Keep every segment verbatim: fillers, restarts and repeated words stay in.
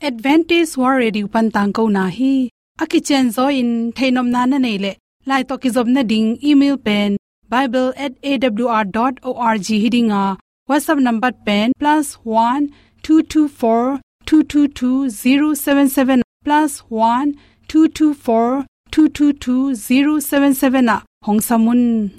Adventist World Radio pan tangkona hi. A kicianzaw in theihnopna na neih leh, lai tawh kizopna ding email pen bible at A W R dot org hi ding a, WhatsApp number pen plus one two two four two two two zero seven seven, plus one two two four two two two zero seven seven ah hong sam un.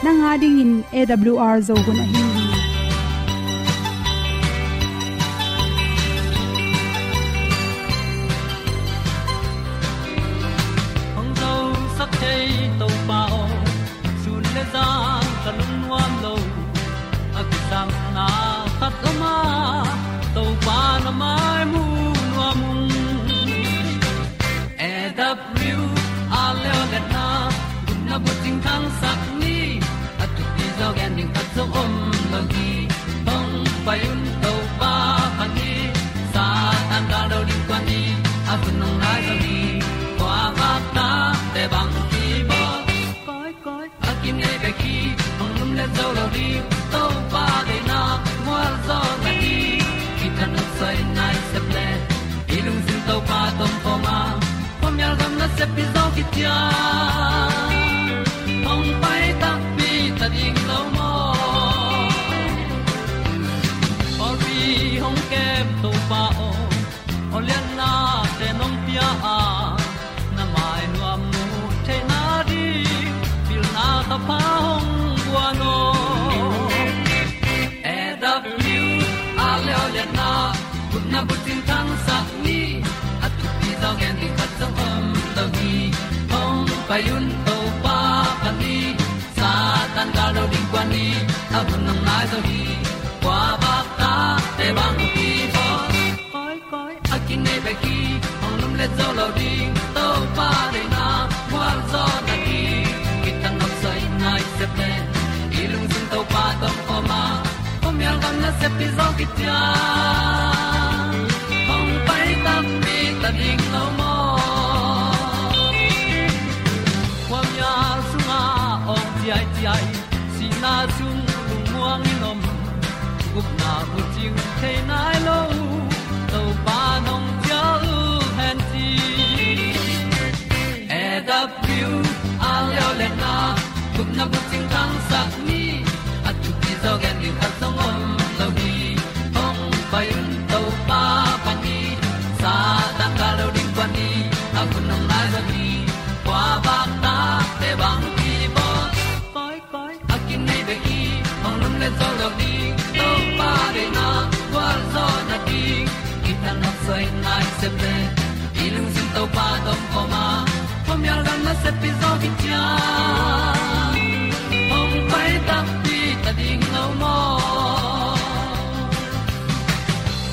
Nang a dingin A W R Zo hun ahi hi. Hong zosak thei Topa aw, sun le zan ka lungnuam lo. A kisapna khat om a, Topa na mai mu nuam ung. A W R Zo hun a, gupna bucing thangsak ni. A thupi zaw gen ding khat zong om lo hi. Hong pai un Topa pan hi. Satan gal do ding tuan ni. A hun hong nai zo hi. Kua vak ta te bang ki bawl. Koi, koi, a kinei bek hi, hong lumlet zo lo ding. Topa deihna mual zaw na hi. Kithanuam soi nai sep le, i lungsim Topa tawh om khawm a, khuamial gam nasep hi zaw khit ciang, hong pai takpi ta ding lo maw. Pawlpi hong kem Topa aw, aw lianna te nong pia a, na mai nuam mu theihna ding, pilna thapha hong guan aw. A W R Zo hun a, gupna bucing thangsak ni. A thupi zaw gen ding khat zong om lo hi. Hong pai un Topa pan hi. Satan gal do ding tuan ni. A hun hong nai zo hi. Kua vak ta te bang ki bawl. Koi, koi, a kinei bek hi, hong lumlet zo lo ding. Topa deihna mual zaw na hi. Kithanuam soi nai sep le, i lungsim Topa tawh om khawm a, khuamial gam nasep hi zaw khit ciang, hong pai takpi ta ding lo maw. Khuamial sungah awng ciaiciai, sihna sung lungmuang in om, gupna bucing thei nai lo, Topa nong cial hen ci. A W R Zo hun a, gupna bucing thangsak ni. A thupi zaw gen ding khat zong om lo hi. Hong pai un Topa pan hi. Satan gal do ding tuan ni. A hun hong nai zo hi. Kua vak ta te bang ki bawl. Koi, koi, a kinei bek hi, hong lumlet zo lo ding. Topa deihna gualzawhna ding, kithanuam soi nai sep le, i lungsim Topa tawh om khawm a, khuamial gam nasep hi zaw khit ciang, hong pai takpi ta ding lo maw.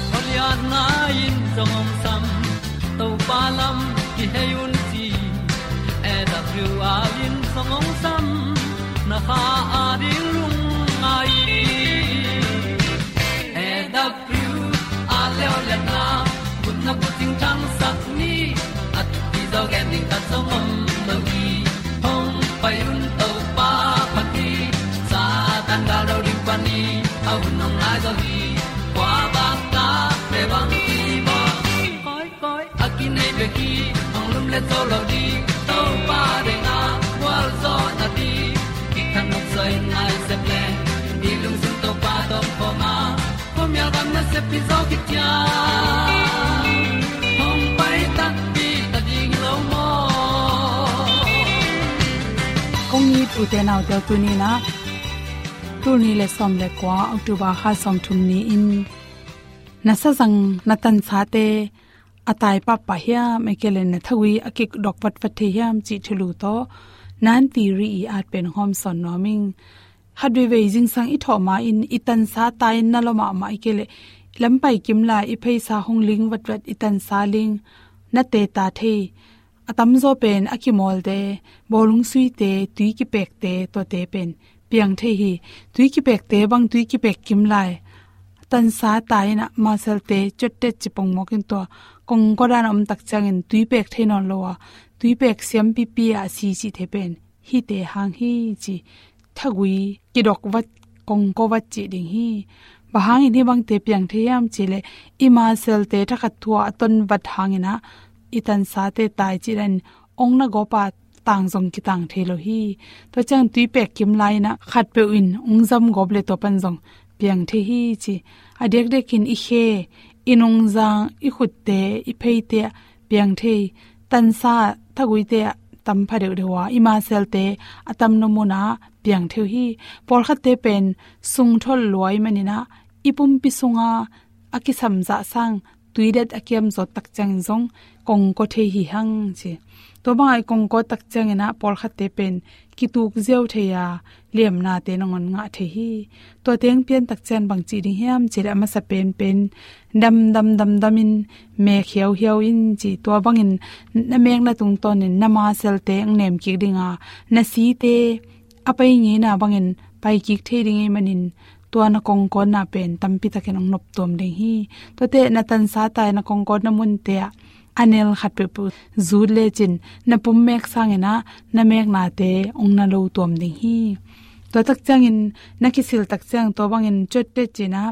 Khualiatna in zong hong sam, Topa lam kihei un ci. A W R in zong hong sam, na kha a ding lungngai. A W R Zo hun a, gupna bucing thangsak ni. A thupi zaw gen ding khat zong om lo hi. Hong pai un Topa pan hi. Satan gal do ding pan hi. A hun hong nai zo hi. Kua vak ta te bang ki bawl. Koi, koi, a kinei bek hi, hong lumlet zo lo ding. Topa deihna gualzawhna ding, kithanuam soi nai sep le, i lungsim Topa tawh om khawm a, khuamial gam nasep hi zaw khit ciang, hong pai takpi ta ding lo maw. Kong it u te nau te, tuni in ah, tul nih le sawm le kua, October kha sawmthum ni-in, na sazang na tansate a tai pahpah hiam, ahih kei leh na thagui a kidok vatvat thei hiam cih thulu tawh, Nan Ti Ri i at pen hong hawmsawn nuam ing. Khat veivei zingsang i thawh ma-in i tansa tai-in na lua mahmah i kei leh, lampai kim lai i pheisa hong ling vatvat, i tansa ling na teta thei. A tamzaw pen a kimawlte, bawlung suite, tui kipekte, tuate pen piang thei hi. Tui kipekte bang, tui kipek kim lai tansa tai-in ah maselte cottet ci pongmawk in, tua kongkaw dan a om tak ciangin tui pek thei nawn lo a, tui pek siampipi a si cihte pen hihte hang hi ci, thagui kidok vat, kongkaw vat cih ding hi. Bang hangin hih bangte piang thei hiam cih leh, i maselte thakhat thu-a a ton vat hangin ah i tansate tai cih dan ong na gawp a, tang zong kitang thei lo hi. Tua ciang tui pek kim lai-in ah khatpeuh in ong zam gawp leh tua pan zong piang thei hi ci. A diakdiakin i khe, i nungzang, i khutte, i pheite ah piang thei. Tansa, thaguite ah tam pha deuhdeuh a, i maselte a tamna munah piang thei uh hi. Pawlkhatte pen sungtholh lua ahih manin ah i pumpi sunga a kisam zah sang tui det a kiam zawt tak ciangin zong kongkaw thei hi hang ci. Tua banga i kongkaw tak ciangin ah pawlkhatte pen kituk ziau thei a, liamnate nangawn ngah thei hi. Tua teng pian tak ciang bang ci ding hiam cih leh, a masa penpen damdam damdamin mek hiauhiau in ci. Tua bangin na mekna tungtawnin na maselte ong nem kik ding a, na site a pai ngeina bangin pai kik thei ding ahih manin, tua na kongkawtna pen tampitakin ong noptuam ding hi. Tuate na tansa tai na kongkawtna munte ah a nel khat peuhpeuh zut lecin, na pum mek sangin ah na meknate ong na lo tuam ding hi. Tua tak ciangin na kisil tak ciang tua bangin cottet ci-in ah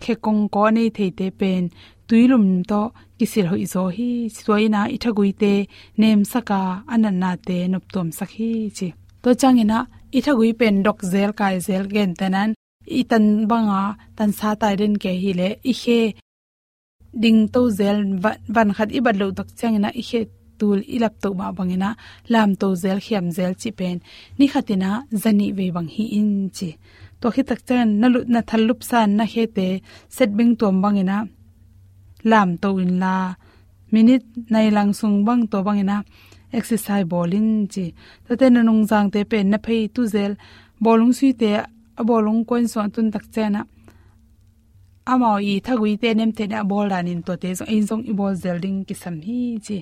khe kongkaw a nei theite pen tuilum tawh kisil hoihzaw hi. Tua in ah i thaguite nemsak a, a natnate noptuamsak hi ci. Tua ciangin ah i thagui pen dok zel, kai zel, gentehna-in i tan banga tansa tai den kei hi leh, i khe dingto zel, va-, van khat i bat loh tak ciangin ah i khe tul i laptoh mah bangin ah lamto zel, khiam zel cih pen ni khatin ah za nih vei bang hi in ci. Tua khit tak ciangin na lut, na thal lupsa-in na khete setbing tuam bangin ah lamto inla, minit nai lang sung bang tua bangin ah exercise bawl in ci. Tuate na nungzangte pen na phei tu zel, bawlung suite a bawlung kuan sungah tun tak ciangin ah amau i thaguite nemte in a bawl danin tuate zong, ei zong i bawl zel ding kisam hi ci.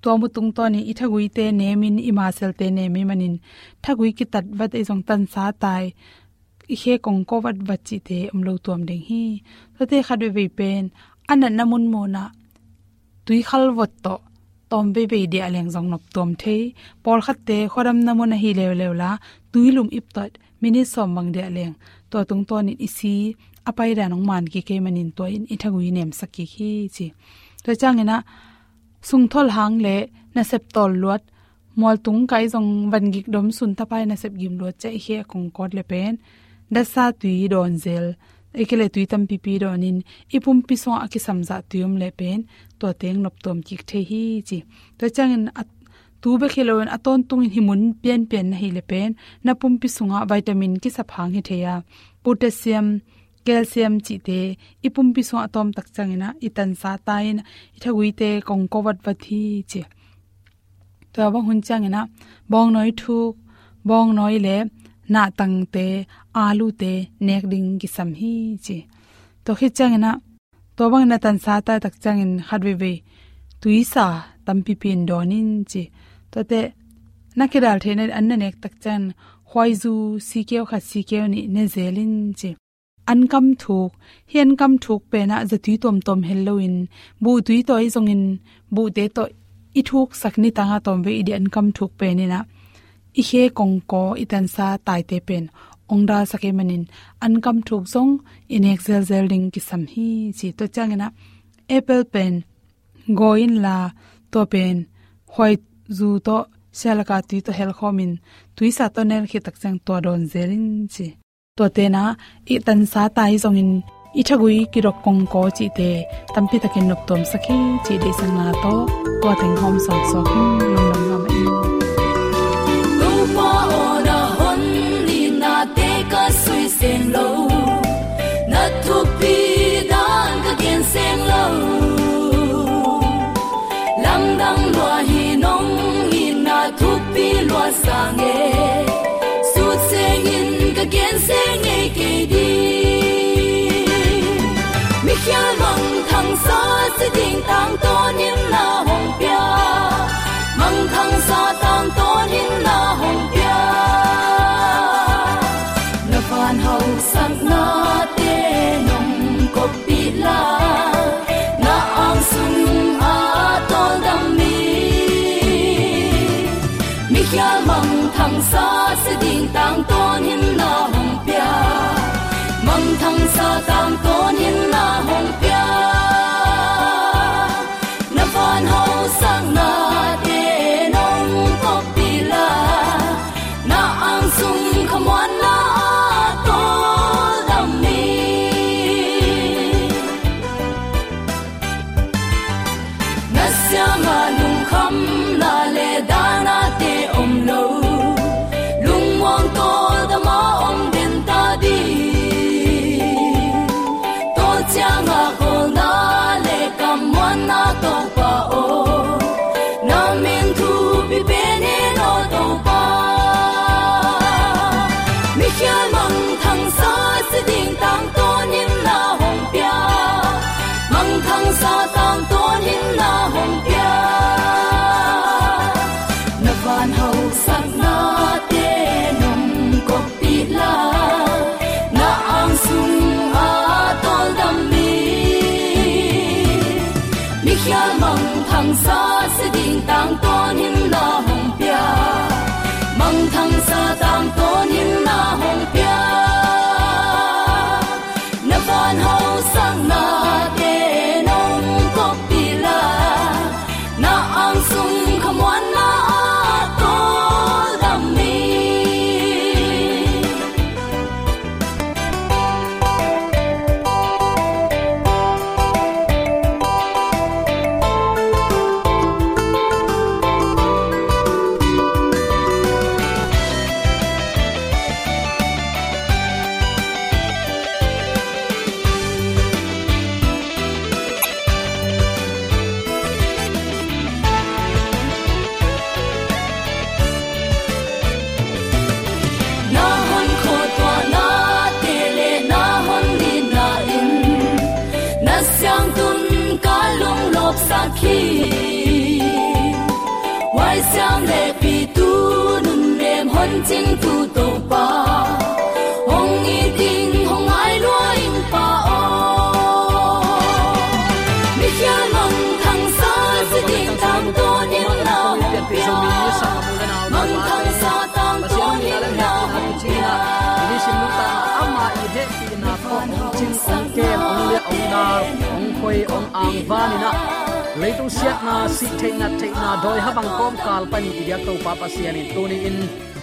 Tua mu tungtawnin i thaguite nemin i maselte nem ahih manin thagui kitat vat, ei zong tansa tai, i khe kongkaw vatvat cihte om lo tuam ding hi. Tuate khat veivei pen a natna munmunah tui khalvot tawh tawm veivei diah leng zong noptuam thei. Pawlkhatte khuadamna mun ahi leuleu la, tuilum ip tawh minit sawm bang diah leng, tua tungtawnin i si a paidan ong man kik ahih manin tua in i thagui nemsak kik hi ci. Tua ciangin ah sungtholh hang le nasep tawl luat, mualtung kai zong van gik dom sun tapai nasep gim luat ciang i khe a kongkawt le pen datsa tui dawn zel, ei kei leh tui tampipi dawnin i pumpi sungah a kisam zah tui om leh pen tua teng noptuam kik thei hi ci. Tua ciangin a, tu bek hi loin a tawntungin hih mun pianpian na hih leh pen na pumpi sungah vitamin kisap hang hi thei a, potassium, calcium cihte i pumpi sungah a tawm tak ciangin ah i tansa tai-in i thaguite kongkaw vatvat hi ci. Tua bang hun ciangin ah bawngnawi thuk, bawngnawi le nahtangte, alute nek ding kisam hi ci. Tua khit ciangin ah tua bangin na tansa tai tak ciangin khat veivei tuisa tampipi in dawn in ci. Tuate na kidal theihna an na nek tak ciangin khuaizu sikeu khat, sikeu nih ne zel in ci. Ankam thuk, hih ankam thuk pen ah zatui tuamtuam hel loin buhtui tawh ei zongin buhte tawh i thuksak, nitang a tawmvei i dih ankam thuk pen in ah i khe kongkaw, i tansa taite pen ong dalsak ahih manin ankam thuk zong i nek zelzel ding kisam hi ci. Tua ciangin ah apple pen gawi inla, tua pen khuaizu tawh, sialaka tui tawh helkhawmin tuisa tawh nel khit tak ciang tua dawn zel in ci. Tuate in ah i tansa tai zongin i thagui kidok kongkaw cihte tampitakin noptuamsak hi cih deihsakna tawh tua teng hawm sawnsuak hi. Lungdam mahmah ing. Topa aw, na hon nitnate ka sui sem lo, na thupi dan ka gen sem lo. Lamdang lua hi, nong itna thupi lua sang e. Sut sengin si ding tangtawn in na hong pia. Mangthangsa tangtawn in na hong pia. Na van hausaknate nong koppih la, na ang sung a tawldam mi. Mikhial mangthangsa si ding tangtawn in na hong pia. Mangthangsa tangtawn in na hong pia. Na van hausaknate nong koppih la, na ang sung khamuanna a tawldam mi. Na siangah lungkhamna le dahnate om lo, lungmuang tawldam a om den ta ding. Tua ciangah khawlna le kammuanna Topa aw, na min thupi pen in aw Topa. Mikhial mangthangsa si ding tangtawn in na hong pia. Mangthangsa tangtawn in na hong pia. Na van hausaknate nong koppih la, na ang sung a tawldam mi. Mikhial mangthangsa si ding tangtawn in na hong pia. Mangthangsa tangtawn in na hong pia. Na van hausaknate nong koppih la, na ang sung khamuanna a tawldam mi. Na hon khuatuahnate le na hon nitna in na siangtun ka lunglawpsak hi. Huai siam le pitu nunnem hon cingtu Topa, hong it ing hong ngai lua ing Pa aw. Mikhial mangthangsa si ding tangtawn in na hong pia. Mangthangsa tangtawn in na hong pia. Amah i hehpihna tawh hong cing, hong kem, hong liah, hong dal, hong khoi, hong angvan in ah, leitung siatna, sih theih nat theihna dawi habang kawmkal panin i biak Topa Pasian in tuni-in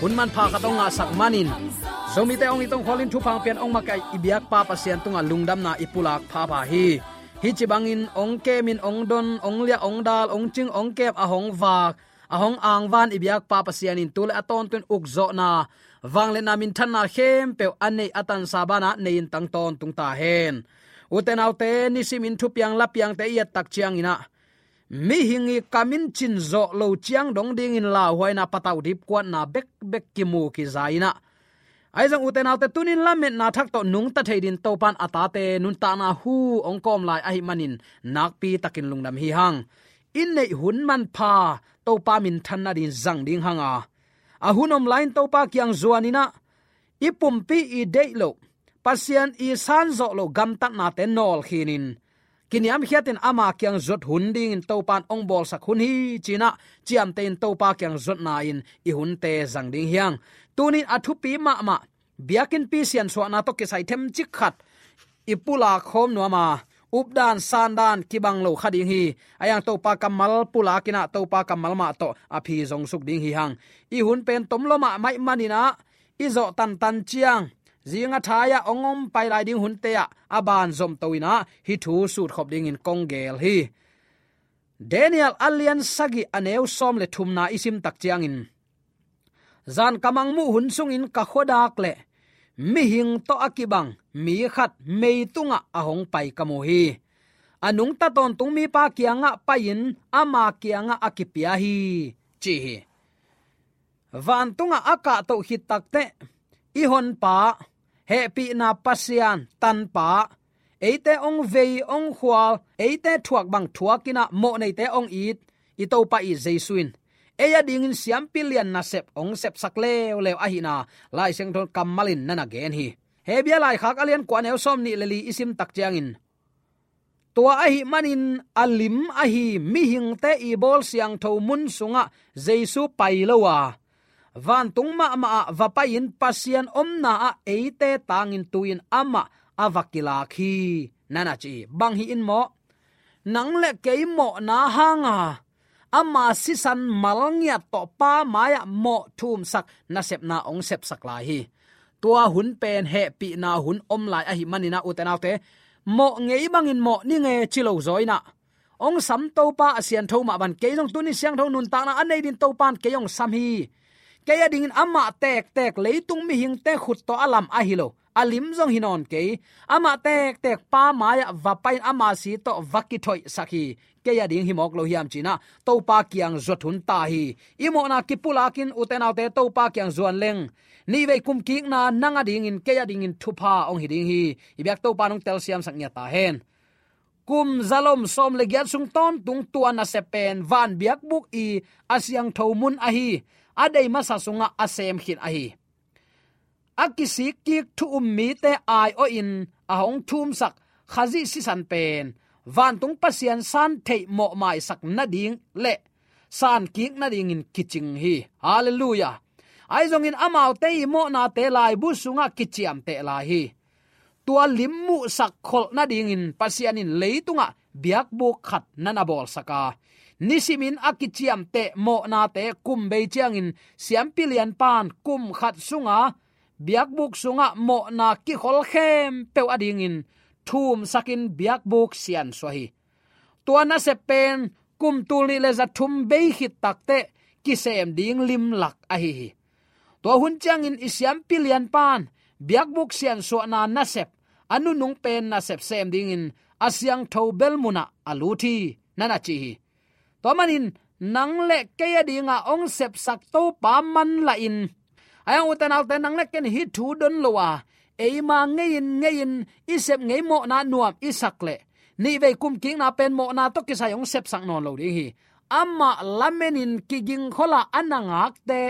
hun manpha khat hong ngahsak manin, Zomite hong it hong khualin thupha hong pia-in hong makaih i biakpa Pasian tungah lungdamna i pulak phapha hi. Hih ci bangin hong kemin, hong don, hong liah, hong dal, hong cing, hong kem, a hong vak, a hong angvan i biakpa Pasian in tu le a tawntung ukzawhna, vangliatna, minthanna khempeuh a neih a tansa banah nei-in tang tawntung ta hen. Ute naute, nisimin thupiang lapiangte i et tak ciangin ah, mihing i kam in cin zawh lo ciang dong dingin lauhuaina, patauh dipkuatna bekbek kimu kiza in ah, ahi zong ute naute, tuni-in lametna thak tawh nungta thei dingin Topa in a tate nuntakna hu hong kawm lai ahih manin nakpi takin lungdam hi hang. I neih hun manpha Topa minthanna dingin zang ding hang a, a hun om lai-in Topa kiang zuan in ah, i pumpi i deih loh, Pasian i san zawh loh gamtatnate nawlkhin in, kiniamkhiatin ama kiang zuat hun dingin Topa in hong bawlsak hun hi ci-in ah, ciamteh in Topa kiang zuatna-in i hunte zang ding hi hang. Tuni-in a thupi mahmah, biakinnpi siansuahna tawh kisai themcik khat i pulak khawm nuam a, updan sandan kibang lo kha ding hi. Ahi hang Topa kammal pulak in ah, Topa kammal mah tawh a phi zong suk ding hi hang. I hun pen tom lua mahmah ahih manin ah, i zawh tantan ciang, zing a thai-ah hong om pai lai ding hunte ah a ban zomto in ah, hih thu sutkhop dingin kong geel hi. Daniel a lian sagih, a neu sawm le thumna i sim tak ciangin, zan ka mangmuh hun sungin ka khuadak leh mihing tawh a kibang mi khat mei tungah a hong pai ka mu hi. A nungta tawntung mipa kiangah pai-in ama kiangah a kipia hi, ci hi. Vantungah a kahtoh khit takteh, i honpa, hehpihna Pasian, tanpa, eite hong vei hong khual, eite thuak bang thuak in ah mawh neite hong it i Topa i Jesu in ei a dingin siampi lian nasep hong sepsak leuleu ahihna Lai Siangtho kammal in na na gen hi. Hebru laikhak a lian kua, a neu sawmnih le li i sim tak ciangin, tua ahih manin a lim ahi mihingte i bawl siangtho mun sungah Jesu pai lo a, vantung mahmah ah va pai-in Pasian omna ah eite tangin tu-in amah a va kilak hi, na na ci hi. Bang hi in maw? Nang le kei mawhna hanga ama sisan mal ngiat tawh Pa mai-ah mawh thumsak nasepna hong sepsak lai hi. Tua hun pen hehpihna hun om lai ahih manin ah, ute naute, mawh ngei bangin mawh ni nge ci lo zaw in ah, hong sam Topa a siantho mah bang, kei zong tuni siangtho nuntakna a nei dingin Topa in kei hong sam hi. Kei a dingin amah tektek leitung mihingte khut tawh a lam ahi lo, a lim zong hi nawn kei. Amah tektek Pa mai-ah va pai-in ama si tawh va kithoihsak hi. Kei a ding hi mawk lo hiam ci-in ah Topa kiang zuat hun ta hi. I mawhna kipulakin, ute naute, Topa kiang zuan leng, nihvei kumkikna nang a dingin, kei a dingin thupha hong hi ding hi. I biak Topa in hong telsiamsak ngiat ta hen. Kum zalom sawm le giat sung tawntung tua nasep pen van biakbuk i a siangtho mun ahi, a dei masa sungah a sem khin ahi. A kisikkik thu um mite aiawhin a hong thumsak Khazih sisan pen vantung Pasian san theih mawhmaisak nading le sankik nadingin kicing hi. Halleluiah. Ahi zongin amaute i mawhnate laibu sungah kiciamteh lai hi. Tua lim muhsak kholh nadingin Pasian in leitungah biakbuk khat na na bawlsak a, nisimin a kiciamteh mawhnate kum bei ciangin siampi lianpa'n kum khat sunga biakbuk sungah mawhna kikhol khempeuh a dingin thumsakin biakbuk siansuah hi. Tua nasep pen kum tul nih le za thum bei khit takteh kisem ding limlak ahi hi. Tua hun ciangin i siampi lianpa'n biakbuk siansuahna nasep, a nunung pen nasep sem dingin a siangtho bel munah a lut hi, na na ci hi. Tua manin nang le kei a dinga hong sepsak Topa manlah in, a hang, ute naute, nang le kei in hih thu don lo a, eima ngei-in ngei-in i sep ngei mawhna nuam i sak leh, nihvei kumkikna pen mawhna tawh kisai hong sepsak nawn lo ding hi. Amah lamenin kigingkhola a na ngakte,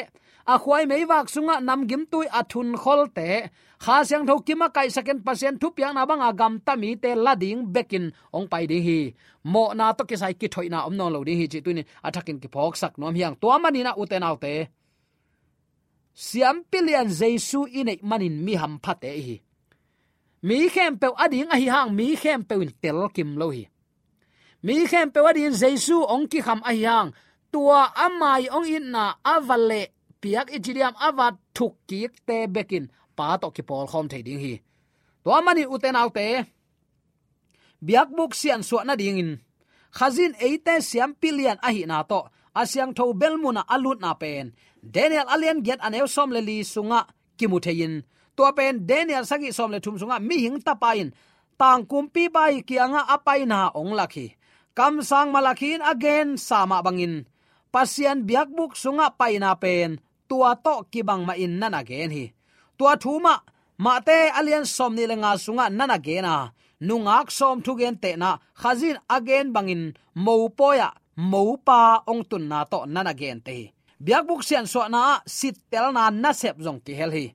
a khuai meivak sungah namgimtui a thunkholte, Kha Siangtho kimakaihsakin Pasian thupiakna banga gamta mite la ding bekin hong pai ding hi. Mawhna tawh kisai kithoihna om nawn lo ding hi cih tuni-in a thakin kiphawksak nuam hi hang. Tua manin ah, ute naute, siampi lian Jesu i neih manin mi hamphate i hi. Mi khempeuh a ding ahi hang, mi khempeuh in telkim lo hi. Mi khempeuh a dingin Jesu hong kikham ahi hang, tua ama i hong itna a va lehpiak i ci diam, a va thukkikte bekin Pa tawh kipawlkhawm thei ding hi. Tua manin, ute naute, biakbuk siansuah nadingin Khazih in eite siampi lian ahihna tawh a siangtho bel munah a lutna pen Daniel a lian giat, a neu sawm le li sungah kimu thei-in, tua pen Daniel sagih sawm le thum sungah mihing tapa in tangkumpipa i kiangah a paina hong lak hi. Kamsang Malakhi in a gensa mah bangin Pasian biakbuk sungah paina pen tua tawh kibang mahin na na gen hi. Tua thu mah Mate a lian sawmnih le nga sungah na na gen a, nungak sawm thugentehna Khazih in a gen bangin mopawi-ah mopa hong tunna tawh na na gente hi. Biakbuk siansuahna ah sittelna nasep zong kihel hi.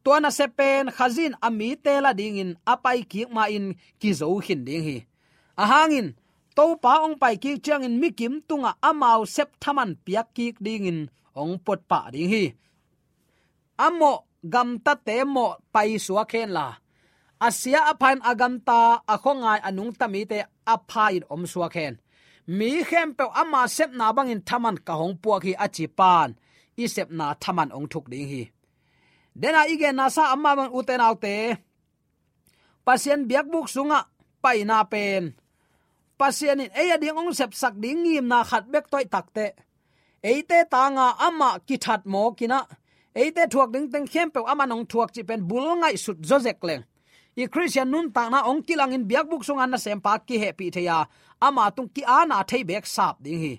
Tua nasep pen Khazih in a mite la dingin a paikik ma-in kizo khin ding hi. A hangin Topa hong paikik ciangin mikim tungah amau sep thaman piakkik dingin hong putpah ding hi. A mawh gamtate mawh paisuak henla, a sia a pha-in a gamta, a khuangai a nungta mite a pha-in omsuak hen. Mi khempeuh ama sepna bangin thaman ka hong puak hi, a ci Pa'n i sepna thaman hong thuk ding hi. Dena i genna sa amah bang, ute naute, Pasian biakbuk sungah paina pen Pasian in ei a ding hong sepsak ding ngimna khat bek tawh i takteh, eite tanga amah kithat mawk in ah, eite thuak ding teng khempeuh aman hong thuak cih pen bul ngaihsut zawzek leng, i Khristian nuntakna hong kilangin biakbuk sunga nasempa kihehpih thei a, ama tung ki-ana thei beek sap ding hi.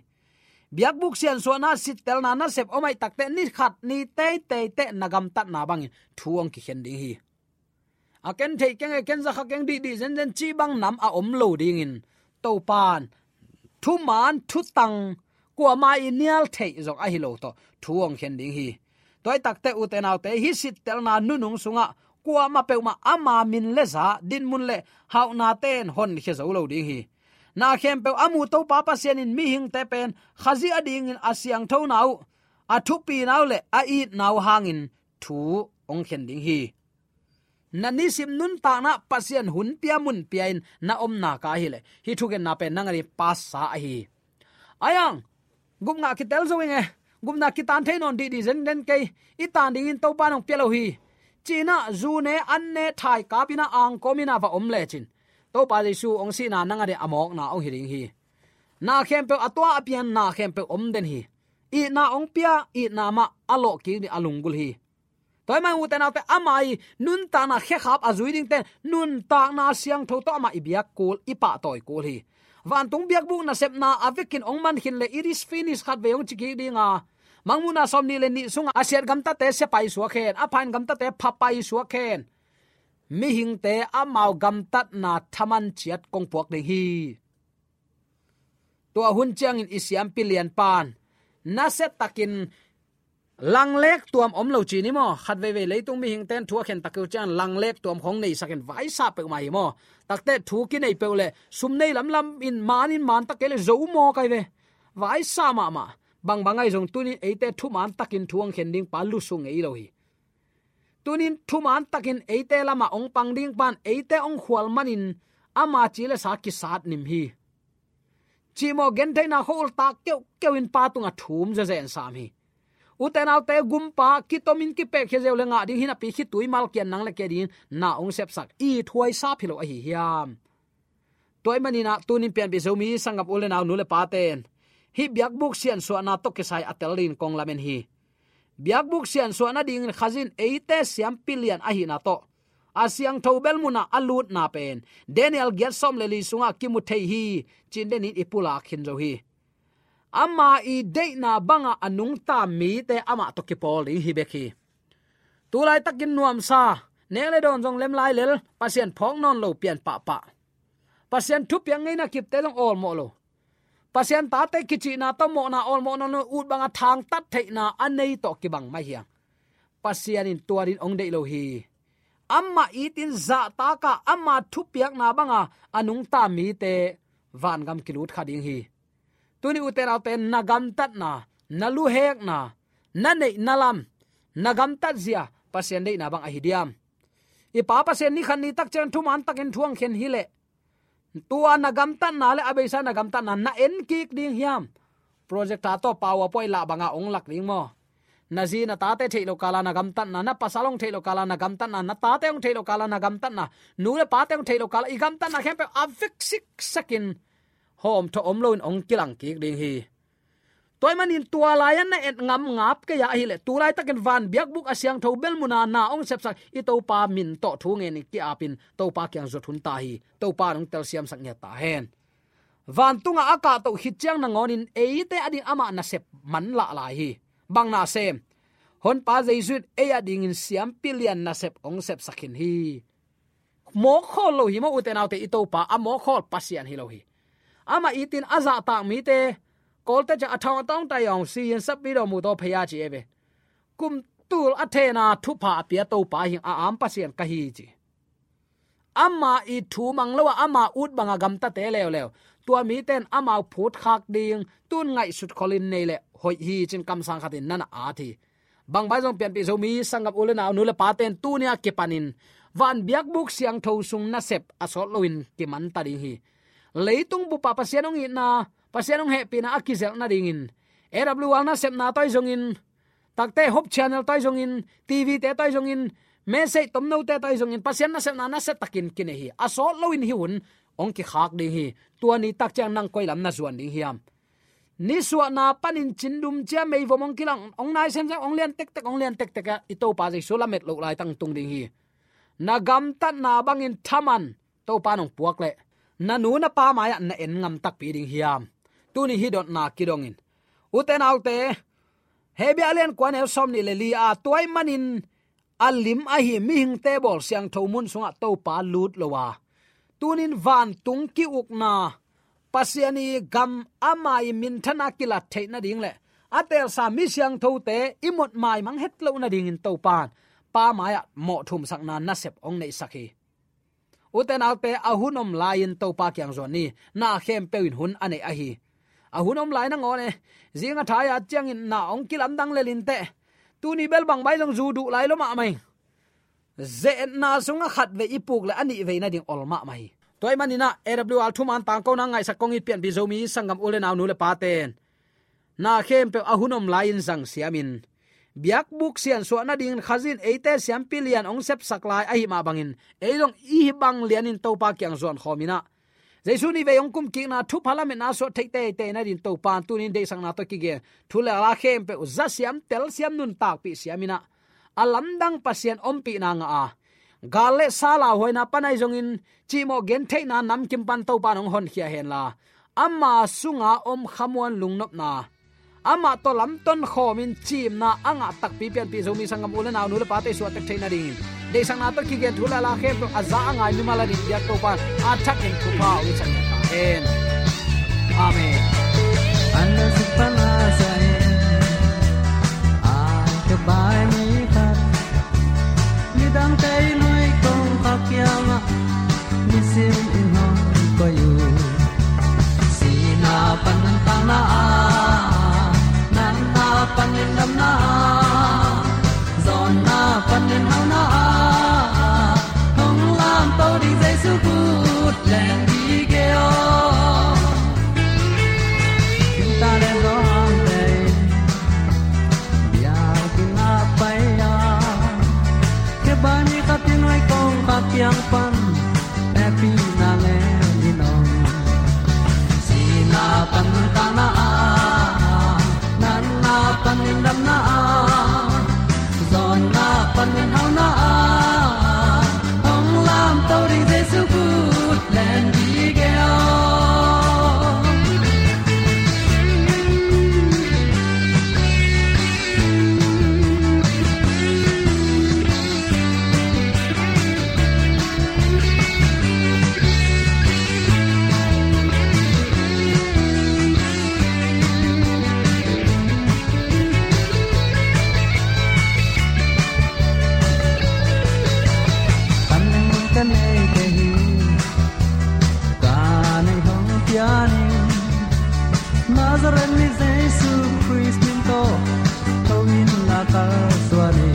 Biakbuk siansuahna sittelna nasep om ahih takteh, ni khat ni teitei teh na gamtatna bangin thu hong kikhen ding hi. a ken theih keng e, ken za kha keng dihdih zenzen cih bang nam a om lo dingin, Topan thuman thutang kuamah i nial theih zong ahi lo tawh thu hong khen ding hi. Tua hi takte ute naute, hih sittelna nunung sungah kuamah peuhmah ama min le za, dinmun le hauhna ten honkhia zo lo ding hi. Na khempeuh a mu Topa Pasian in mihingte pen Khazih adingin a siangthona uh, a thupina uh le a itna uh hangin thu hong khen ding hi. Na nisim nuntakna Pasian hun pia mun pia in na omna ka ahileh, hih thugenna pen nang ading pasa ahi. Ayang, gupna kitel zo ing e, gupna kitan thei nawn dihdih zenzen kei, i tan dingin Topa in hong pia lo hi. Ci-in ah zu ne, an ne, thaikap in ah, angkawm in ah va om lecin, Topa Jesu hong sihna nang ading a mawkna hong hi ding hi. Na khempeuh a tua a pian, na khempeuh om den hi. Itna hong pia, itna mah a lawh kik ding a lunggulh hi. Tua ahih manin ute naute, ama i nuntakna khekhap a zui dingte, nuntakna siangtho tawh amah i biak kul, i pahtawi kul hi. Vantung biakbuk nasepna a vekin hong man khin le, "It is finished," khatvei hong ci kik ding a, Mangmuhna sawmnih le nih sungah a siat gamtate sia paisuak hen, a pha in gamtate pha paisuak hen. Mihingte amau gamtatna thaman ciat kong puak ding hi. Tua hun ciangin i siampi lianpan nasia takin langlek tuam om lo ci ni maw? Khat veivei leitung mihingte in thu a khen tak uh ciangin langlek tuam khong neisak in vaisa peuhmah hi maw? Takte thu kinei peuh le sum nei lamlam in man in man tak kei le zo maw kai ve. Vaisa mahmah. Bangbang ahi zong tunin eite thuman takin thu hong khen ding pa lusu ngei lo hi. Tunin thuman takin eite lamah hong pang ding pan eite hong khual manin ama ci le sa kisat nim hi. Cihmawh gentheihna khua-ul tak keuhkeuh in pa tungah thum zezen sam hi. Ute naute, gumpa kitomin kipehkhia zeu le ngah ding hi napi, khitui malkiat nang le kei dingin na hong sepsak i thuaisap hi lo ahi hiam? Tua ahih manin ah tunin pianpih Zomi sanggam u le nau, nu le paten hih biakbuk siansuahna tawh kisai a tel dingin kong lamen hi. Biakbuk siansuah nadingin Khazih in eite siampi lian ahihna tawh a siangtho bel munah a lutna pen Daniel giat sawm le li sungah kimu thei hi, ci-in denin i pulak khin zo hi. Ama i deihna bangah a nungta mite amah tawh kipawl ding hi bek hi. Tulaitakin nuamsa, nek le dawn zong lem lai lel, Pasian phawk nawn lo pian pahpah. Pasian thupiak ngeina kipte zong awlmawh lo. Pasian tate kicihna tawh mawhna awlmawh nawn lo, ut banga thangtat theihna a nei tawh kibang mai hiang. Pasian in tua dingin hong deih lo hi. Amah itin zahtak a, ama thupiakna banga a nungta mite vangam kilut kha ding hi. Tuni ute naute, na gamtatna, na luhekna, na neihna lam, na gamtatzia Pasian deihna bang ahi diam? I Pa Pasian ni khat ni tak ciang thuman takin thu hong khen hileh, tua na gamtatna le a beisa na gamtatna na en kik ding hiam? Projector tawh PowerPoint lah banga hong lak ding maw? Na zi na tate theih lo kala na gamtatna, na pasal hong theih lo kala na gamtatna, na tate hong theih lo kala na gamtatna, nu le pate hong theih lo kala i gamtatna khempeuh a vek siksakin hawmthawh om loin hong kilang kik ding hi. Tua ahih manin tua lai-ah na et ngam ngap kei a ahileh, tu laitakin van biakbuk a siangtho bel muna na hong sepsak i Topa min tawh thu ngenin ki-apin Topa kiang zuat hun ta hi. Topa in hong telsiamsak ngiat ta hen. Vantungah a kahtoh khit ciang nangawnin eite ading amah nasep manlah lai hi. Bang nasem? Honpa Jesu in ei adingin siampi lian nasep hong sepsak khin hi. Mawkhawl lo hi maw ute naute, i Topa a mawkhawl Pasian hi lo hi. Amah itin a zahtak mite, Kawlte ciang a thawng a tawng tai awng si in sap video mu taw phei a ci e ve. Kum tul a thena thupha a pia Topa hi, a am Pasian ka hi ci. Ama i thu mang lo a, ama ut banga gamtate leuleu, tua mite in amau phutkhak ding tun ngaihsut kholin nei le hoih hi cin kamsang khatin nana at hi. Bangbai zong pianpih Zomi sanggam u le nau, nu le paten tuni a kipanin van biakbuk siangtho sung nasep a sawt loin kimanta ding hi. Leitung bupah Pasian hong itna, Pasian hong hehpihna a kizelh nadingin A W R nasepna tawi zongin, takte Hope Channel tawi zongin, T V te tawi zongin, message tomnote tawi zongin, Pasian nasepna nasia takin kinei hi. A sawt loin hih hun hong kikhak ding hi. Tua ni tak ciang nang koi lam na zuan ding hiam? Nisuahna panin cindum cia meivom hong kilang, hong nai semsem, hong lian tektek, hong lian tektek a, i Topa Jesu lamet loh laitang tung ding hi. Na gamtatna bangin thaman Topa nong puak leh, na nu na pa mai-ah na en ngam takpi ding hiam? Tuni hih dotna kidongin, ute naute, Hebru a lian kua neu sawmnih le li a, tua ahih manin a lim ahi mihingte bawl siangtho mun sungah Topa lut lo a, tunin vantung ki-ukna, Pasian i gam ama i minthana kilat theih nading le a teelsa mi siangthote i mot maimang het loh nadingin Topa in Pa mai-ah mawhthumsakna nasep hong neihsak hi. Ute naute, a hun om lai-in Topa kiang zuan ni. Na khempeuh in hun a neih ahi. A hun om lai nangawn e, zing a thai a ciangin na hong kilamdang lel inteh. Tuni bel bang mai zong zu duh lai lo mahmah hi. Ze-etna sungah khat vei i puk le a nih vei nading ol mahmah hi. Tua ahih manin ah A W R thuman tangkona ngaihsak kong it pianpih Zomi sanggam u le nau, nu le pate'n na khempeuh a hun om lai-in zang siamin, biakbuk siansuah nadingin Khazih in eite siampi lian hong sepsak lai ahih mah bangin, ei zong i hih bang lianin Topa kiang zuan khawm in ah, Jesu nih vei hong kumkikna thupha lametna suah theih teitei nadingin Topa in tunin deihsakna tawh kigen thu le la khempeuh za siam, tel siam, nuntakpih siam in ah, a lamdang Pasian ompihna ngah a, gal le sa lauhuaina pan ahi zongin cihmawh gentheihna namkim pan Topa in hong honkhia henla, ama sunga om khamuan lungnopna, amah tawh lamton khawmin ciimna a ngah takpi pianpih Zomi sanggam u le nau, nu le pate suahtak theih nadingin, deihsakna tawh kigen thu le la khempeuh a za a ngai mimal adingin biak Topa in a thakin thupha hong hisak ta hen. Amen. An na sik pan a sa in, a ka bai mi khat, midangte i nuai kongkhak kiangah nisim in hong koih uh. Sihna pan nuntakna ah, natna pan lindamna ah, zawnna pan minhauna ah, hong lamto ding Jesu khut leng dih kei aw. Inn ta le zawngte in biakinn ah pai a, khe bai mi khat i nuai kongkhak kiang pan hehpihna lem in om. Sihna pan nuntakna ah, natna pan lindamna ah, zawnna pan minhauna ah, hong lamto ding Jesu khut leng dih kei aw. Panleng ka nei kei hi, ka neih hong pian in, Nazareth mi Jesu Khrist min tawh tho in la ka suan hi.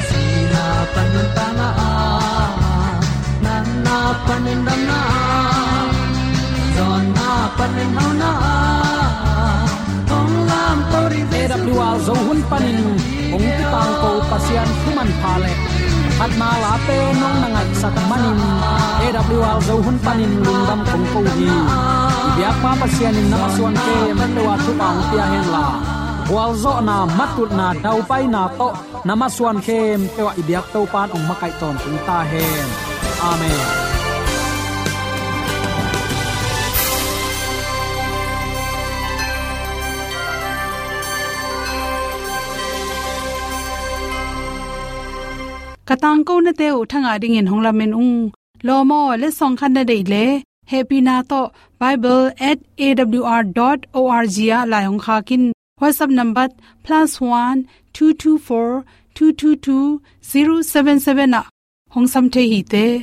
Sihna pan nuntakna ah, natna pan lindamna ah, zawnna pan minhauna ah, hong lamto ding Jesu. A W R Zo hun panin hong kitangko Pasian thu manpha le phatna late nong na ngaihsak manin, A W R Zo hun panin lungdam kong ko hi. I biakpa Pasian in na masuan khempeuh ah thupha hong pia henla, gualzawhna, matutna, daupaina tawh na masuan khempeuh ah i biak Topa in hong makaih tawntung ta hen. Amen. Ka tangkonate uh thangah dingin hong lamen ung. Lawm aw, letsong khat na deih leh, hehpihna tawh bible at A W R dot O R G ah lai hong khak in. WhatsApp number plus one two two four two two two zero seven seven ah hong sam thei hi te.